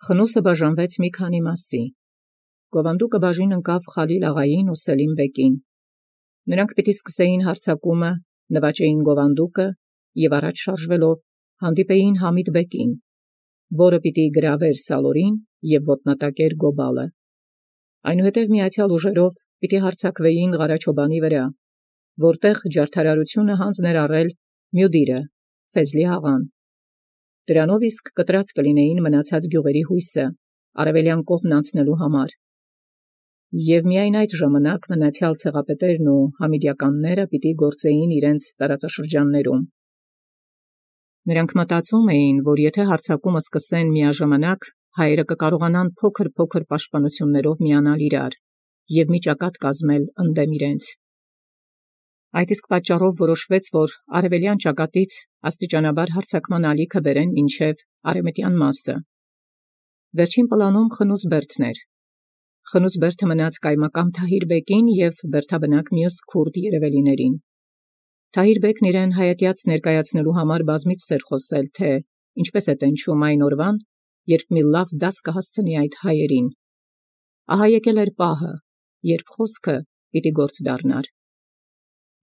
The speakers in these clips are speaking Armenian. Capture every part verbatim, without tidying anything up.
Խնուսը բաժանվեց մի քանի մասի։ Գովանդուկը բաժին ընկավ Խալիլ աղային ու Սելիմ բեկին։ Նրանք պիտի սկսեին հարձակումը, նվաճեին գովանդուկը և առաջ շարժվելով հանդիպեին Համիդ բեկին, որը պիտի գրավեր Սալորին և ոտնատակեր Գոբալը։ Այնուհետև միացյալ ուժերով պիտի հարձակվեին Ղարաչոբանի վրա, որտեղ ջարդարարությունը հանձն էր առել Մյուդիրը, Ֆեզլի աղան։ Դրանով իսկ կտրած կլինեին մնացած գյուղերի հույսը արևելյան կողմն անցնելու համար։ Եվ միայն այդ ժամանակ մնացյալ ցեղապետերն ու համիդյականները պիտի գործեին իրենց տարածաշրջաններում։ Նրանք մտածում էին, որ եթե հարձակումը սկսեն միաժամանակ, հայերը կկարողանան փոքր-փոքր պաշտպանություններով միանալ իրար և մի ճակատ կազմել ընդդեմ իրենց։ Այդ իսկ պատճառով որոշվեց, որ արևելյան ճակատից աստիճանաբար հարձակման ալիքը բերեն մինչև արևմտյան մասը։ Վերջին պլանում Խնուս բերդն էր։ Խնուս բերդը մնաց կայմակամ Թահիր բեկին և բերդաբնակ մյուս քուրդ երևելիներին։ Թահիր բեկն իրեն հայատյաց ներկայացնելու համար բազմիցս էր խոսել, թե ինչպես է տենչում այն օրվան, երբ մի լավ դաս կհասցնի այդ հայերին։ Ահա եկել էր պահը, երբ խոսքը պիտի գործ դառնար։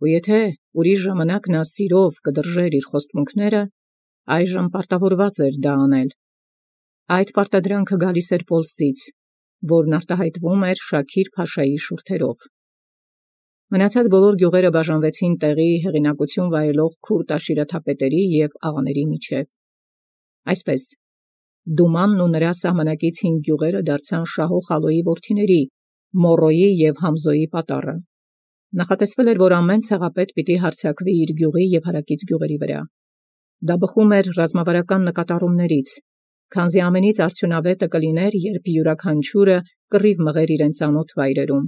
Ու եթե ուրիշ ժամանակ նա սիրով կդրժեր իր խոստմունքները, այժմ պարտավորված էր դա անել։ Այդ պարտադրանքը գալիս էր Պոլսից, որն արտահայտվում էր Շաքիր փաշայի շուրթերով։ Մնացած բոլոր գյուղերը բաժանվեցին տեղի հեղինակություն վայելող քուրդ աշիրեթապետերի և աղաների միջև։ Այսպես, Դումանն ու նրա սահմանակից հինգ գյուղերը դարձան Շահո Խալոյի որդիների Մոռոյի և Համզոյի պատառը։ Նախատեսվել էր, որ ամեն ցեղապետ պիտի հարձակվի իր գյուղի և հարակից գյուղերի վրա։ Դա բխում էր ռազմավարական նկատառումներից, քանզի ամենից արդյունավետը կլիներ, երբ յուրաքանչյուրը կռիվ մղեր իրեն ծանոթ վայրերում։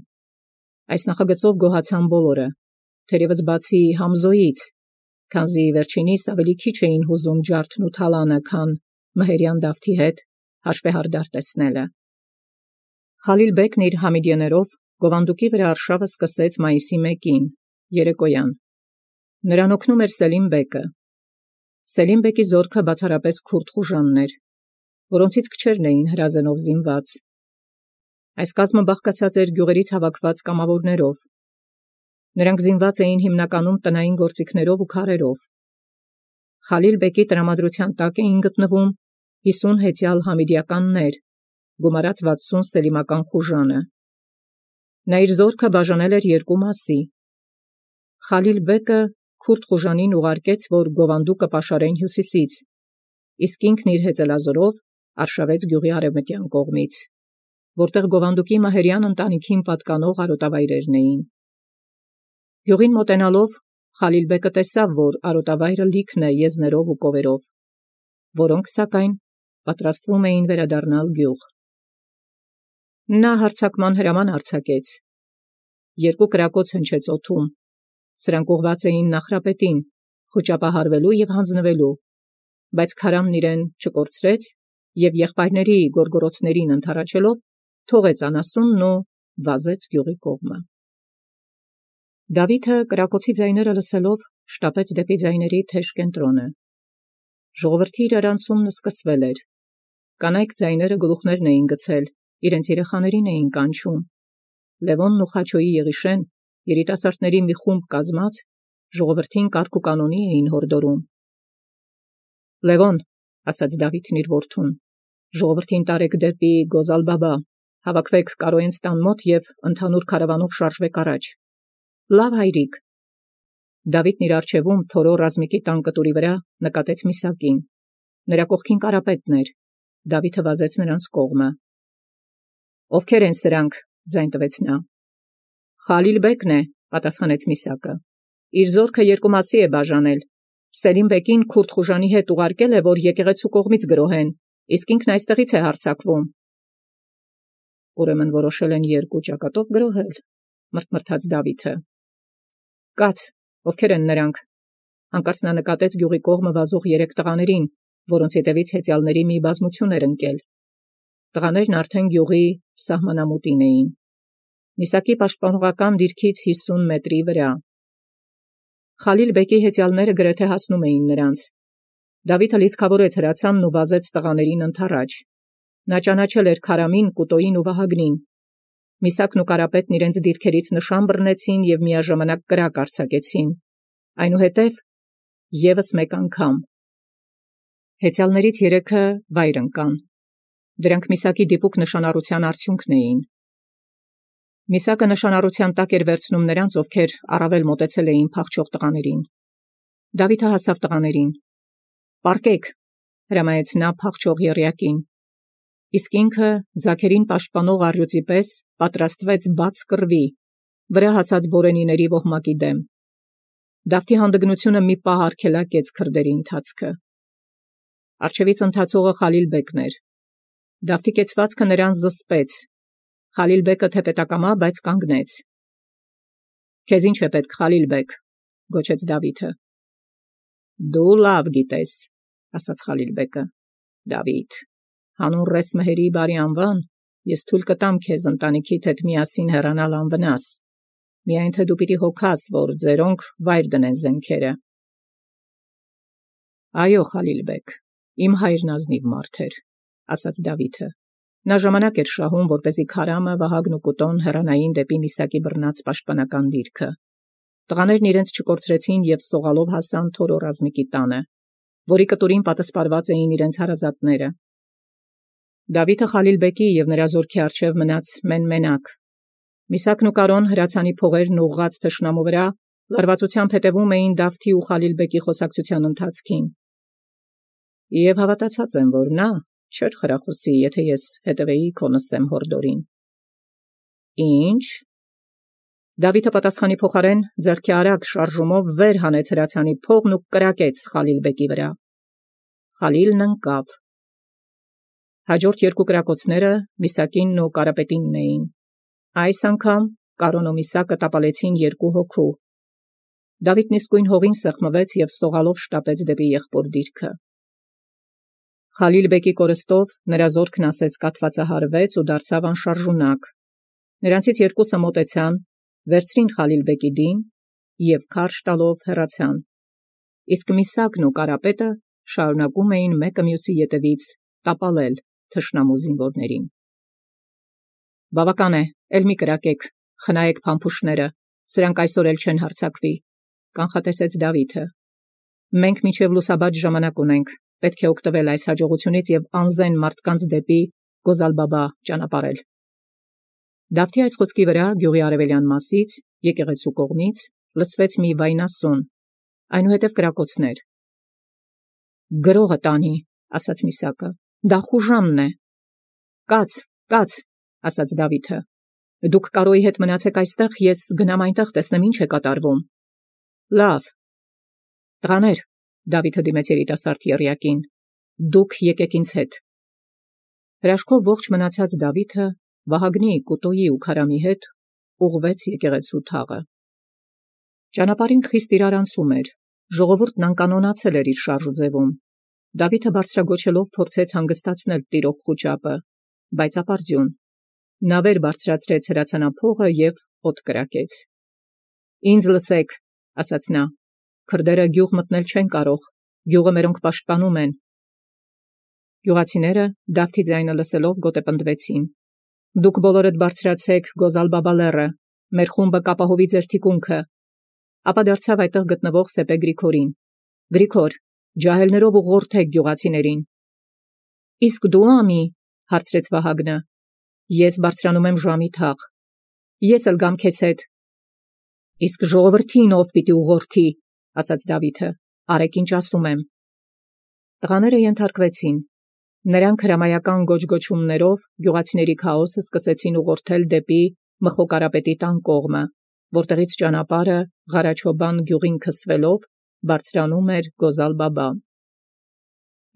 Այս նախագծով գոհացան բոլորը, թերևս բացի Համզոյից, քանզի վերջինիս ավելի քիչ էին հուզում ջարդն ու թալանը, քան մհերյան Դավթի հետ հաշվեհարդար տեսնելը։ Խալիլ բեկն իր համիդիներով գովանդուկի վրա արշավը սկսեց մայիսի մեկին, երեկոյան։ Նրան օգնում էր Սելիմ բեկը։ Սելիմ բեկի զորքը բացառապես քուրդ խուժանն էր, որոնցից քչերն էին հրազենով զինված։ Այս կազմը բաղկացած էր գյուղերից հավաքված կամավորներով։ Նրանք զինված էին հիմնականում տնային գործիքներով ու քարերով։ Խալիլ բեկի տրամադրության տակ էին գտնվում հիսուն հեծյալ համիդյականներ, գումարած վաթսուն սելիմական խուժանը։ Նա իր զորքը բաժանել էր երկու մասի։ Խալիլ բեկը քուրդ խուժանին ուղարկեց, որ գովանդուկը պաշարեն հյուսիսից, իսկ ինքն իր հեծելազորով արշավեց գյուղի արևմտյան կողմից, որտեղ գովանդուկի մահերյան ընտանիքին պատկանող արոտավայրերն էին։ Գյուղին մոտենալով Խալիլ բեկը տեսավ, որ արոտավայրը լիքն է եզներով ու կովերով, որոնք սակայն պատրաստվում էին վերադառնալ գյուղ։ Նա հարձակման հրաման արձակեց։ Երկու կրակոց հնչեց օդում։ Սրանք ուղղված էին Նախրապետին, խոճապահարվելու և հանձնվելու, բայց քարամն իրեն չկորցրեց և եղբայրների գորգորոցներին ընդառաջելով թողեց անասունն ու վազեց գյուղի կողմը։ Դավիթը կրակոցի ձայները լսելով շտապեց դեպի ձայների թեժ կենտրոնը։ Ժողովրդի իրարանցումն սկսվել էր։ Կանայք ձայները գլուխներն էին գցել, իրենց երեխաներին էին կանչում։ Լևոնն ու Խաչոյի Եղիշեն, երիտասարդների մի խումբ կազմած, ժողովրդին կարգ ու կանոնի էին հորդորում։ Լևոն, ասաց Դավիթն իր որդուն, ժողովրդին տարեք դեպի Գոզալ-Բաբա, հավաքվեք Կարոյենց տան մոտ և ընդհանուր քարավանով շարժվեք առաջ։ Լավ հայրիկ։ Դավիթն իր առջևում Թորո ռազմիկի տան կտուրի վրա նկատեց Միսակին։ Նրա կողքին Կարապետն էր։ Դավիթը վազեց նրանց կողմը։ Ովքեր են սրանք, ձայն տվեց նա։ Խալիլ բեկն է, պատասխանեց Միսակը։ Իր զորքը երկու մասի է բաժանել։ Սելիմ բեկին քուրդ խուժանի հետ ուղարկել է, որ եկեղեցու կողմից գրոհեն, իսկ ինքն այստեղից է հարձակվում։ Ուրեմն որոշել են երկու ճակատով գրոհել, մրթմրթաց Դավիթը։ Կաց, ովքեր են նրանք։ Հանկարծ նա նկատեց գյուղի կողմը վազող երեք տղաներին, որոնց ետևից հեծյալների մի բազմություն էր ընկել։ Տղաներն արդեն գյուղի սահմանամուտին էին։ Միսակի պաշտպանողական դիրքից հիսուն մետրի վրա։ Խալիլ բեկի հեծյալները գրեթե հասնում էին նրանց։ Դավիթը լիցքավորեց հրացանն ու վազեց տղաներին ընդառաջ։ Նա ճանաչել էր Քարամին, Կուտոյին ու Վահագնին։ Միսակն ու Կարապետն իրենց դիրքերից նշան բռնեցին և միաժամանակ կրակ արձակեցին։ Այնուհետև ևս մեկ անգամ։ Հեծյալներից երեքը վայր ընկան։ Դրանք Միսակի դիպուկ նշանառության արդյունքն էին։ Միսակը նշանառության տակ էր վերցնում նրանց, ովքեր առավել մոտեցել էին փախչող տղաներին։ Դավիթը հասավ տղաներին։ «Պառկեք», հրամայեց նա փախչող եռյակին։ Իսկ ինքը ձագերին պաշտպանող առյուծի պես պատրաստվեց բաց կռվի, վրա հասած բորենիների ոհմակի դեմ։ Դավթի հանդգնությունը մի պահ արգելակեց քրդերի ընթացքը։ Առջևից ընթացողը Խալիլ-բեկն էր։ Դավթի կեցվածքը նրան զսպեց։ Խալիլ-բեկը թեպետակամա, բայց կանգնեց։ «Քեզ ինչ է պետք, Խալիլ-բեկ», գոչեց Դավիթը։ «Դու լավ գիտես», ասաց Խալիլ-բեկը։ «Դավիթ, հանուն ռես մհերի բարի անվան, ես թույլ կտամ քեզ ընտանիքիդ հետ միասին հեռանալ անվնաս, միայն թե դու պիտի հոգաս, որ ձերոնք վայր դնեն զենքերը»։ «Այո, Խալիլ-բեկ, իմ հայրն ազնիվ մարդ էր», ասաց Դավիթը։ Նա ժամանակ էր շահում, որպեսզի Քարամը, Վահագնն ու Կուտոն հեռանային դեպի Միսակի բռնած պաշտպանական դիրքը։ Տղաներն իրենց չկորցրեցին և սողալով հասան Թորո ռազմիկի տանը, որի կտուրին պատսպարված էին իրենց հարազատները։ Դավիթը Խալիլ-բեկի և նրա զորքի առջև մնաց մեն-մենակ։ Միսակն ու Կարոն հրացանի փողերն ուղղած թշնամու վրա լարվածությամբ հետևում էին Դավթի ու Խալիլ-բեկի խոսակցության ընթացքին։ Եվ հավատացած եմ, որ նա չէր խրախուսի, եթե ես հետևեի քո նսեմ հորդորին։ Ինչ։ Դավիթը պատասխանի փոխարեն ձեռքի արագ շարժումով վեր հանեց հրացանի փողն ու կրակեց Խալիլ-բեկի վրա։ Խալիլն ընկավ։ Հաջորդ երկու կրակոցները Միսակինն ու Կարապետինն էին։ Այս անգամ Կարոն ու Միսակը տապալեցին երկու հոգու։ Դավիթն իսկույն հողին սեղմվեց և սողալով շտապեց դեպի եղբոր դիրքը։ Խալիլ-բեկի կորստով նրա զորքն ասես կաթվածահարվեց ու դարձավ անշարժունակ։ Նրանցից երկուսը մոտեցան, վերցրին Խալիլ-բեկի դին և քարշ տալով հեռացան։ Իսկ Միսակն ու Կարապետը շարունակում էին մեկը մյուսի ետևից տապալել թշնամու զինվորներին։ Բավական է, էլ մի կրակեք, խնայեք փամփուշտները, սրանք այսօր էլ չեն հարձակվի, կանխատեսեց Դավիթը։ Մենք մինչև լուսաբաց ժամանակ ունենք, պետք է օգտվել այս հաջողությունից և անզեն մարդկանց դեպի Գոզալբաբա ճանապարհել։ Դավթի այս խոսքի վրա գյուղի արևելյան մասից, եկեղեցու կողմից, լսվեց մի վայնասուն, այնուհետև կրակոցներ։ Գրողը տանի, ասաց Միսակը, դա խուժանն է։ Կաց, կաց, ասաց Դավիթը։ Դուք Կարոյի հետ մնացեք այստեղ, ես գնամ այնտեղ տեսնեմ ինչ է կատարվում։ Լավ։ Տղաներ, Դավիթը դիմեց երիտասարդ եռյակին, դուք եկեք ինձ հետ։ Հրաշքով ողջ մնացած Դավիթը Վահագնի, Կուտոյի ու Քարամի հետ ուղղվեց եկեղեցու թաղը։ Ճանապարհին խիստ իրարանցում էր, ժողովուրդն անկանոնացել էր իր շարժուձևում։ Դավիթը բարձրագոչելով փորձեց հանգստացնել տիրող խուճապը, բայց ապարդյուն։ Նա վեր բարձրացրեց հրացանափողը և օդ կրակեց։ Ինձ լսեք, ասաց նա, քրդերը գյուղ մտնել չեն կարող, գյուղը մերոնք պաշտպանում են։ Գյուղացիները Դավթի ձայնը լսելով գոտեպնդվեցին։ Դուք բոլորդ բարձրացեք Գոզալբաբա լեռը, մեր խումբը կապահովի ձեր թիկունքը։ Ապա դարձավ այդտեղ գտնվող Սեպե Գրիգորին։ Գրիգոր, ջահելներով ուղղորդեք գյուղացիներին։ Իսկ դու, ամի, հարցրեց Վահագնը։ Ես բարձրանում եմ ժամի թաղ։ Ես էլ գամ քեզ հետ։ Իսկ ժողովրդին ով պիտի ուղղորդի, ասաց Դավիթը, արեք ինչ ասում եմ։ Տղաները ենթարկվեցին։ Նրանք հրամայական գոչգոչումներով գյուղացիների քաոսը սկսեցին ուղղորդել դեպի Մխո Կարապետի տան կողմը, որտեղից ճանապարհը Ղարաչոբան գյուղին քսվելով բարձրանում էր Գոզալբաբա։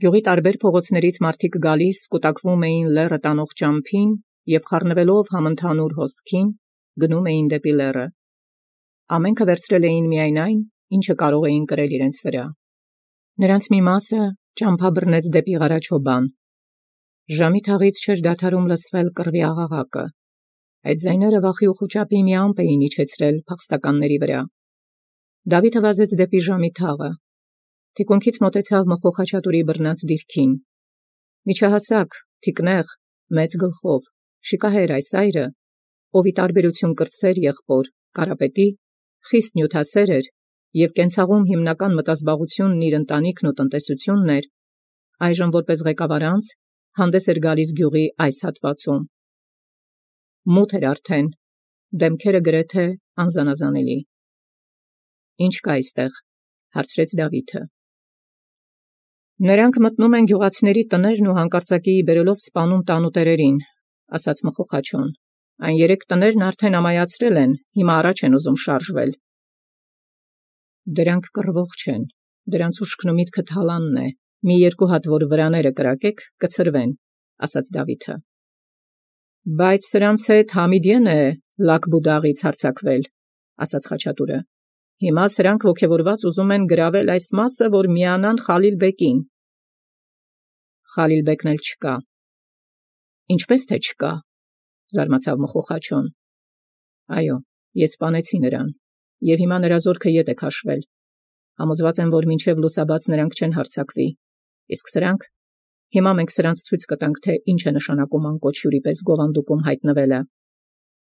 Գյուղի տարբեր փողոցներից մարդիկ գալիս կուտակվում էին լեռը տանող ճամփին և խառնվելով համընդհանուր հոսքին գնում էին դեպի լեռը։ Ամենքը վերցրել էին միայն այն, ինչը կարող էին կրել իրենց վրա։ Նրանց մի մասը ճամփա բռնեց դեպի Ղարաչոբան։ Ժամի թաղից չէր դադարում լսվել կռվի աղաղակը։ Այդ ձայները վախի ու խուճապի մի ամպ էին իջեցրել փախստականների վրա։ Դավիթը վազեց դեպի ժամի թաղը։ Թիկունքից մոտեցավ Մխո Խաչատուրի բռնած դիրքին։ Միջահասակ, թիկնեղ, մեծ գլխով, շիկահեր այս այրը, ովի տարբերություն կրտսեր եղբոր, կարապետի, խիստ նյութասեր էր և կենցաղում հիմնական մտազբաղությունն իր ընտանիքն ու տնտեսությունն էր, այժմ որպես ղեկավարանց հանդես էր գալիս գյուղի այս հատվածում։ Մութ էր արդեն, դեմքերը գրեթե անզանազանելի։ Ինչ կա այստեղ, հարցրեց Դավիթը։ Նրանք մտնում են գյուղացիների տներն ու հանկարծակի բերելով սպանում տանուտերերին, ասաց Մխոխաչոն։ Այն երեք տներն արդեն ամայացրել են, հիմա առաջ են ուզում շարժվել։ Դրանք կռվող չեն, դրանց ուշքն ու միտքը թալանն է, մի երկու հատ որ վրաները կրակեք, կցրվեն, ասաց Դավիթը։ Բայց սրանց հետ Համիդեն է Լաքբուդաղից հարձակվել, ասաց Խաչատուրը։ Հիմա սրանք ոգևորված ուզում են գրավել այս մասը, որ միանան Խալիլ բեկին։ Խալիլ բեկն էլ չկա։ Ինչպես թե չկա, զարմացավ Մխոխաչոն։ Այո, ես սպանեցի նրան, և հիմա նրա զորքը ետ է քաշվել։ Համոզված եմ, որ մինչև լուսաբաց նրանք չեն հարձակվի։ Իսկ սրանք, հիմա մենք սրանց ցույց կտանք, թե ինչ է նշանակում անկոչ հյուրի պես գովանդուկում հայտնվելը։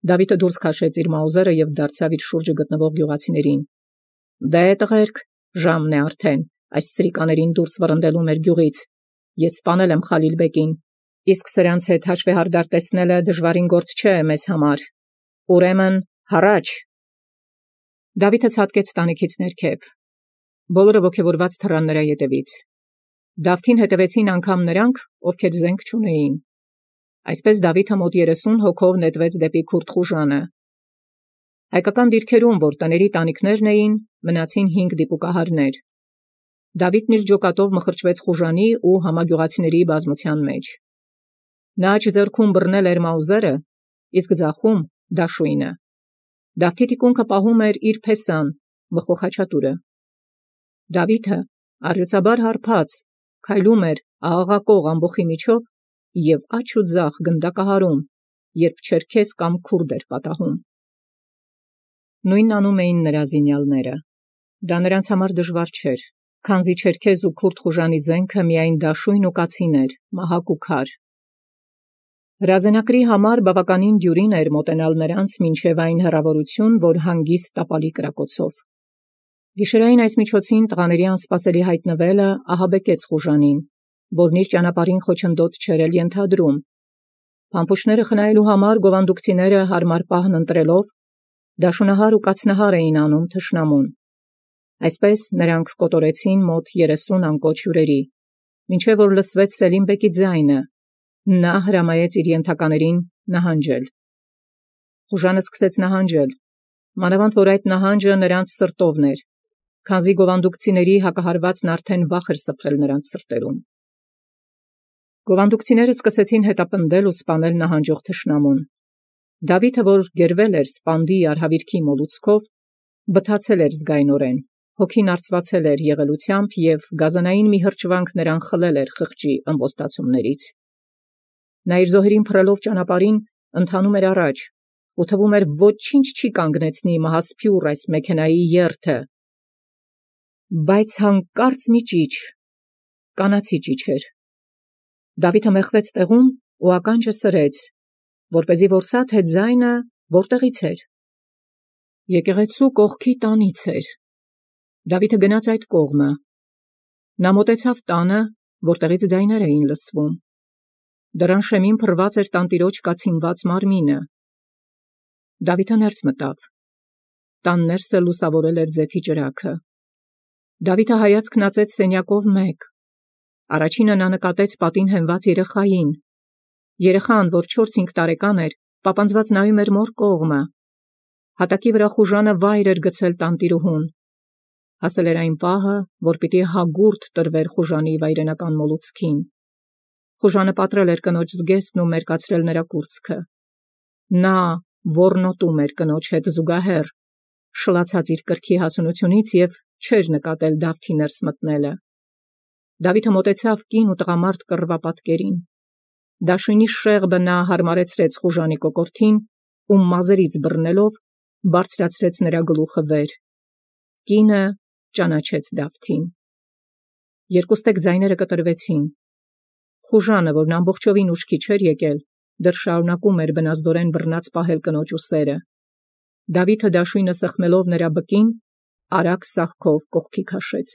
Դավիթը դուրս քաշեց իր մաուզերը և դարձավ իր շուրջը գտնվող գյուղացիներին։ Դե տղերք, ժամն է արդեն, այս սրիկաներին դուրս վռնդելու մեր գյուղից։ Ես սպանել եմ Խալիլ բեկին, իսկ սրանց հետ հաշվեհարդար տեսնելը դժվարին գործ չէ մեզ համար։ Ուրեմն, հառաչ։ Դավիթը ցատկեց տանիքից ներքև։ Բոլորը ոգևորված թռան նրա ետևից։ Դավթին հետևեցին անգամ նրանք, ովքեր զենք չունեին։ Այսպես Դավիթը մոտ երեսուն հոգով նետվեց դեպի Քուրդ խուժանը։ Հայկական դիրքերում, որ տների տանիքներն էին, մնացին հինգ դիպուկահարներ։ Դավիթն իր ջոկատով մխրճվեց խուժանի ու համագյուղացիների բազմության մեջ։ Նա աջ ձեռքում բռնել էր մաուզերը, իսկ ձախում դաշույնը։ Դավթի թիկունքը պահում էր իր փեսան, Մխոխաչատուրը։ Դավիթը, առյուծաբար հարբած, քայլում էր աղաղակող ամբոխի միջով և աջ ու ձախ գնդակահարում, երբ չերքեզ կամ քուրդ էր պատահում։ Նույնն անում էին նրա զինյալները։ Դա նրանց համար դժվար չէր, քանզի չերքեզ ու քուրդ խուժանի զենքը միայն դաշույն ու կացին էր, մահակ ու քար։ Հրազենակրի համար բավականին դյուրին էր մոտենալ նրանց մինչև այն հեռավորություն, որ հանգիստ տապալի կրակոցով։ Գիշերային այս միջոցին տղաների անսպասելի հայտնվելը ահաբեկեց խուժանին, որն իր ճանապարհին խոչընդոտ չէր էլ ենթադրում։ Փամփուշտները խնայելու համար գովանդուկցիները հարմար պահն ընտրելով, դաշունահար ու կացնահար էին անում թշնամուն։ Այսպես նրանք կոտորեցին մոտ երեսուն անկոչ հյուրերի, մինչև որ լսվեց Սելիմ բեկի ձայնը։ Նա հրամայեց իր ենթականերին նահանջել։ Խուժանը սկսեց նահանջել, մանավանդ որ այդ նահանջը նրանց սրտովն էր, քանզի գովանդուկցիների հակահարվածն արդեն վախ էր սփռել նրանց սրտերում։ Գովանդուկցիները սկսեցին հետապնդել ու սպանել նահանջող թշնամուն։ Դավիթը, որ գերվել էր սպանդի արհավիրքի մոլուցքով, բթացել էր զգայնորեն, հոգին արծվածել էր եղելությամբ և գազանային մի հրճվանք նրան խլել էր խղճի ըմպոստացումներից։ Նա իր զոհերին փռելով ճանապարհին ընթանում էր առաջ, ու թվում էր ոչինչ չի կանգնեցնի մահասփյուռ այս մեքենայի երթը։ Բայց հանկարծ մի ճիչ, կանացի ճիչ էր։ Դավիթը մեխվեց տեղում ու ականջը սրեց, որպեսզի որսա, թե ձայնը որտեղից էր։ Եկեղեցու կողքի տանից էր։ Դավիթը գնաց այդ կողմը։ Նա մոտեցավ տանը, որտեղից ձայներ էին լսվում։ Դռան շեմին փռված էր տանտիրոջ կացինված մարմինը։ Դավիթը ներս մտավ։ Տան ներսը լուսավորել էր ձեթի ճրագը։ Դավիթը հայացք նածեց սենյակով մեկ։ Առաջինը նա նկատեց պատին հենված երեխային։ Երեխան, որ չորս-հինգ տարեկան էր, պապանձված նայում էր մոր կողմը։ Հատակի վրա խուժանը վայր էր գցել տանտիրուհուն։ Հասել էր այն պահը, որ պիտի հագուրդ տրվեր խուժանի վայրենական մոլուցքին։ Խուժանը պատռել էր կնոջ զգեստն ու մերկացրել նրա կուրծքը։ Նա ոռնոտում էր կնոջ հետ զուգահեռ, շլացած իր կրքի հասունությունից և չէր նկատել Դավթի ներս մտնելը։ Դավիթը մոտեցավ կին ու տղամարդ կռվապատկերին։ Դաշույնի շեղբը նա հարմարեցրեց խուժանի կոկորդին ու մազերից բռնելով բարձրացրեց նրա գլուխը վեր։ Կինը ճանաչեց Դավթին։ Երկուստեք ձայները կտրվեցին։ Խուժանը, որն ամբողջովին ուշքի չէր եկել, դեռ շարունակում էր բնազդորեն բռնած պահել կնոջ ուսերը։ Դավիթը դաշույնը սեղմելով նրա բկին, արագ սահքով կողքի քաշեց։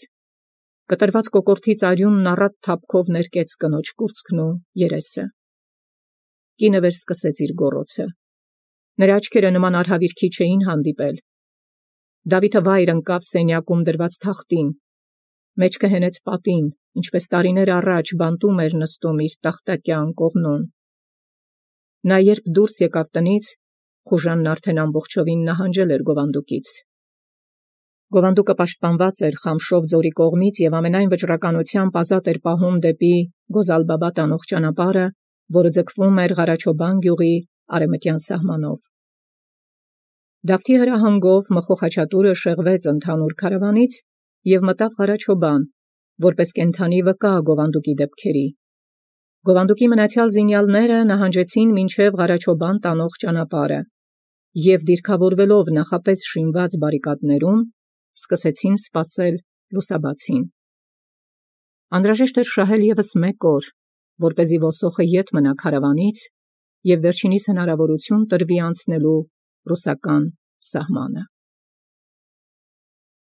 Կտրված կոկորդից արյունն առատ թափքով ներկեց կնոջ կուրծքն ու երեսը։ Կինը վերսկսեց իր գոռոցը։ Նրա աչքերը նման արհավիրքի չէին հանդիպել։ Դավիթը վայր ընկավ սենյակում դրված թախտին, մեջքը հենեց պատին, ինչպես տարիներ առաջ բանտում էր նստում իր տախտակյան կողմնում։ Նա երբ դուրս եկավ տնից, Խուժանն արդեն ամբողջովին նահանջել էր գովանդուկից։ Գովանդուկը պաշտպանված էր Խամշով ձորի կողմից և ամենայն վճռականությամբ ազատ էր պահում դեպի Գոզալբաբա տանող ճանապարհը, որը ձգվում էր Ղարաչոբան գյուղի արևմտյան սահմանով։ Դավթի հրահանգով Մխու խաչատուրը շեղվեց ընդհանուր քարավանից և մտավ Ղարաչոբան, որպես կենդանի վկա գովանդուկի դեպքերի։ Գովանդուկի մնացյալ զինյալները նահանջեցին մինչև Ղարաչոբան տանող ճանապարհը և դիրքավորվելով նախապես շինված բարիկադներում, սկսեցին սպասել լուսաբացին։ Անհրաժեշտ էր շահել ևս մեկ օր, որպեսզի ոսոխը ետ մնա քարավանից և վերջինիս հնարավորություն տրվի անցնելու ռուսական սահմանը։